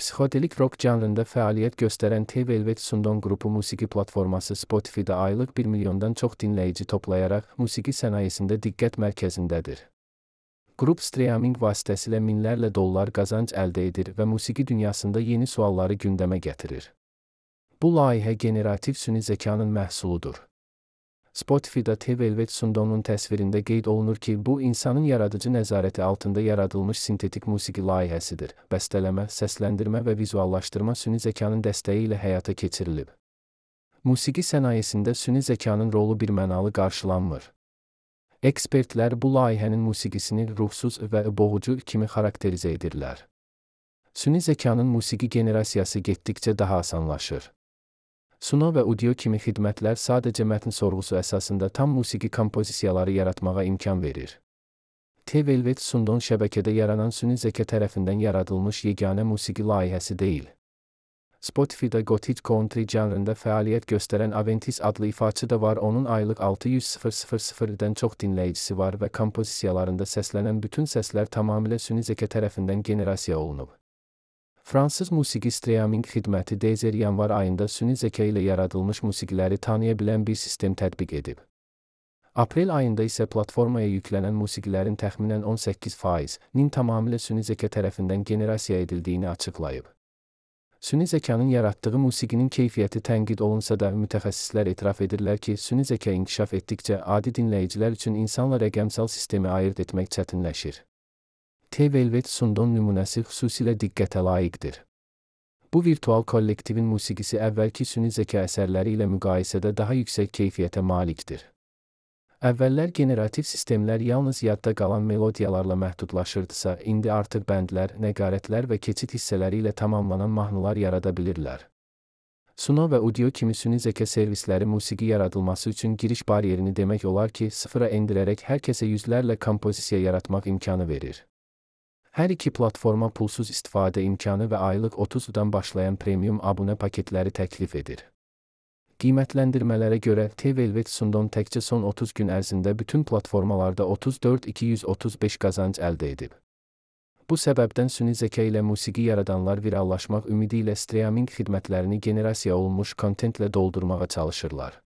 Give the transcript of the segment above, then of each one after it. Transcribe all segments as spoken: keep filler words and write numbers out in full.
Psixodelik rock janrında fəaliyyət göstərən T Velvet Sundon qrupu musiqi platforması Spotify-da aylıq bir milyondan çox dinləyici toplayaraq musiqi sənayesində diqqət mərkəzindədir. Qrup streaming vasitəsilə minlərlə dollar qazanc əldə edir və musiqi dünyasında yeni sualları gündəmə gətirir. Bu layihə generativ süni zəkanın məhsuludur. Spotify-da T Velvet Sundonun təsvirində qeyd olunur ki, bu insanın yaradıcı nəzarəti altında yaradılmış sintetik musiqi layihəsidir. Bəstələmə, səsləndirmə və vizuallaşdırma süni zəkanın dəstəyi ilə həyata keçirilib. Musiqi sənayesində süni zəkanın rolu birmənalı qarşılanmır. Ekspertlər bu layihənin musiqisini ruhsuz və boğucu kimi xarakterizə edirlər. Süni zəkanın musiqi generasiyası getdikcə daha asanlaşır. Suno və audio kimi xidmətlər sadəcə mətn sorğusu əsasında tam musiqi kompozisiyaları yaratmağa imkan verir. T Velvet Sundon şəbəkədə yaranan süni zəka tərəfindən yaradılmış yeganə musiqi layihəsi deyil. Spotify-da Gothic Country janrında fəaliyyət göstərən Aventis adlı ifaçı da var, onun aylıq altı yüz mindən çox dinləyicisi var və kompozisiyalarında səslənən bütün səslər tamamilə süni zəka tərəfindən generasiya olunub. Fransız musiqi streaming xidməti Deezer yanvar ayında süni zəka ilə yaradılmış musiqiləri tanıya bilən bir sistem tətbiq edib. Aprel ayında isə platformaya yüklənən musiqilərin təxminən on səkkiz faizinin tamamilə süni zəka tərəfindən generasiya edildiyini açıqlayıb. Süni zəkanın yaratdığı musiqinin keyfiyyəti tənqid olunsa da mütəxəssislər etiraf edirlər ki, süni zəka inkişaf etdikcə adi dinləyicilər üçün insanla rəqəmsal sistemi ayırd etmək çətinləşir. T Velvet Sundon nümunəsi xüsusilə diqqətə layiqdir. Bu virtual kollektivin musiqisi əvvəlki süni zəka əsərləri ilə müqayisədə daha yüksək keyfiyyətə malikdir. Əvvəllər generativ sistemlər yalnız yadda qalan melodiyalarla məhdudlaşırdısa, indi artıq bəndlər, nəqarətlər və keçid hissələri ilə tamamlanan mahnılar yarada bilirlər. Suno və audio kimi süni zəka servisləri musiqi yaradılması üçün giriş bariyerini demək olar ki, sıfıra endirərək hər kəsə yüzlərlə kompozisiya yaratmaq imkanı verir. Hər iki platforma pulsuz istifadə imkanı və aylıq otuzdan başlayan premium abunə paketləri təklif edir. Qiymətləndirmələrə görə T Velvet Sundon təkcə son otuz gün ərzində bütün platformalarda otuz dörd min iki yüz otuz beş qazanc əldə edib. Bu səbəbdən süni zəka ilə musiqi yaradanlar virallaşmaq ümidi ilə streaming xidmətlərini generasiya olunmuş kontentlə doldurmağa çalışırlar.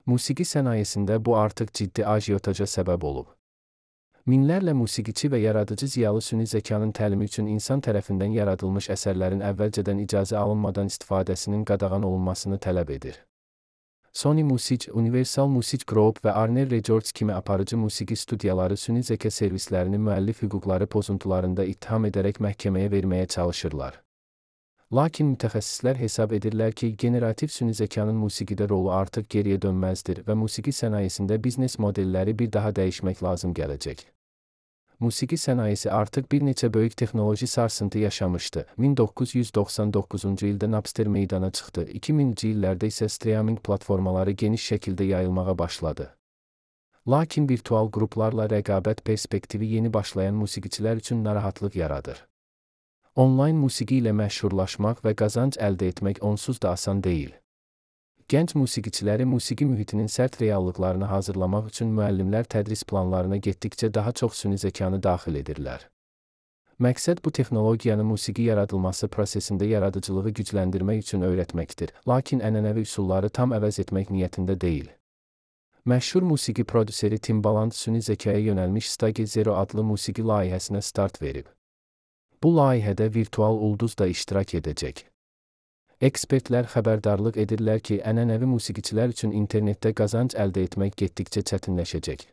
Musiqi sənayesində bu artıq ciddi ajiotaja səbəb olub. Minlərlə musiqiçi və yaradıcı ziyalı süni zəkanın təlimi üçün insan tərəfindən yaradılmış əsərlərin əvvəlcədən icazə alınmadan istifadəsinin qadağan olunmasını tələb edir. Sony Music, Universal Music Group və Warner Records kimi aparıcı musiqi studiyaları süni zəka servislərini müəllif hüquqları pozuntularında ittiham edərək məhkəməyə verməyə çalışırlar. Lakin mütəxəssislər hesab edirlər ki, generativ süni zəkanın musiqidə rolu artıq geriyə dönməzdir və musiqi sənayesində biznes modelləri bir daha dəyişmək lazım gələcək. Musiqi sənayesi artıq bir neçə böyük texnoloji sarsıntı yaşamışdı. min doqquz yüz doxsan doqquzuncu ildə Napster meydana çıxdı, iki minci illərdə isə streaming platformaları geniş şəkildə yayılmağa başladı. Lakin virtual qruplarla rəqabət perspektivi yeni başlayan musiqiçilər üçün narahatlıq yaradır. Onlayn musiqi ilə məşhurlaşmaq və qazanc əldə etmək onsuz da asan deyil. Gənc musiqiçiləri musiqi mühitinin sərt reallıqlarını hazırlamaq üçün müəllimlər tədris planlarına getdikcə daha çox süni zəkanı daxil edirlər. Məqsəd bu texnologiyanı musiqi yaradılması prosesində yaradıcılığı gücləndirmək üçün öyrətməkdir, lakin ənənəvi üsulları tam əvəz etmək niyyətində deyil. Məşhur musiqi prodüseri Timbaland süni zəkaya yönəlmiş Stage Zero adlı musiqi layihəsinə start verib. Bu layihədə virtual ulduz da iştirak edəcək. Ekspertlər xəbərdarlıq edirlər ki, ənənəvi musiqiçilər üçün internetdə qazanc əldə etmək getdikcə çətinləşəcək.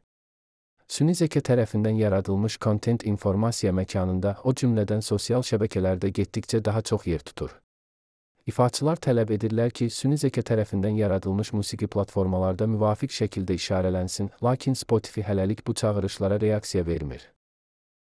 Süni zəka tərəfindən yaradılmış kontent informasiya məkanında, o cümlədən sosial şəbəkələrdə getdikcə daha çox yer tutur. İfaçılar tələb edirlər ki, süni zəka tərəfindən yaradılmış musiqi platformalarda müvafiq şəkildə işarələnsin, lakin Spotify hələlik bu çağırışlara reaksiya vermir.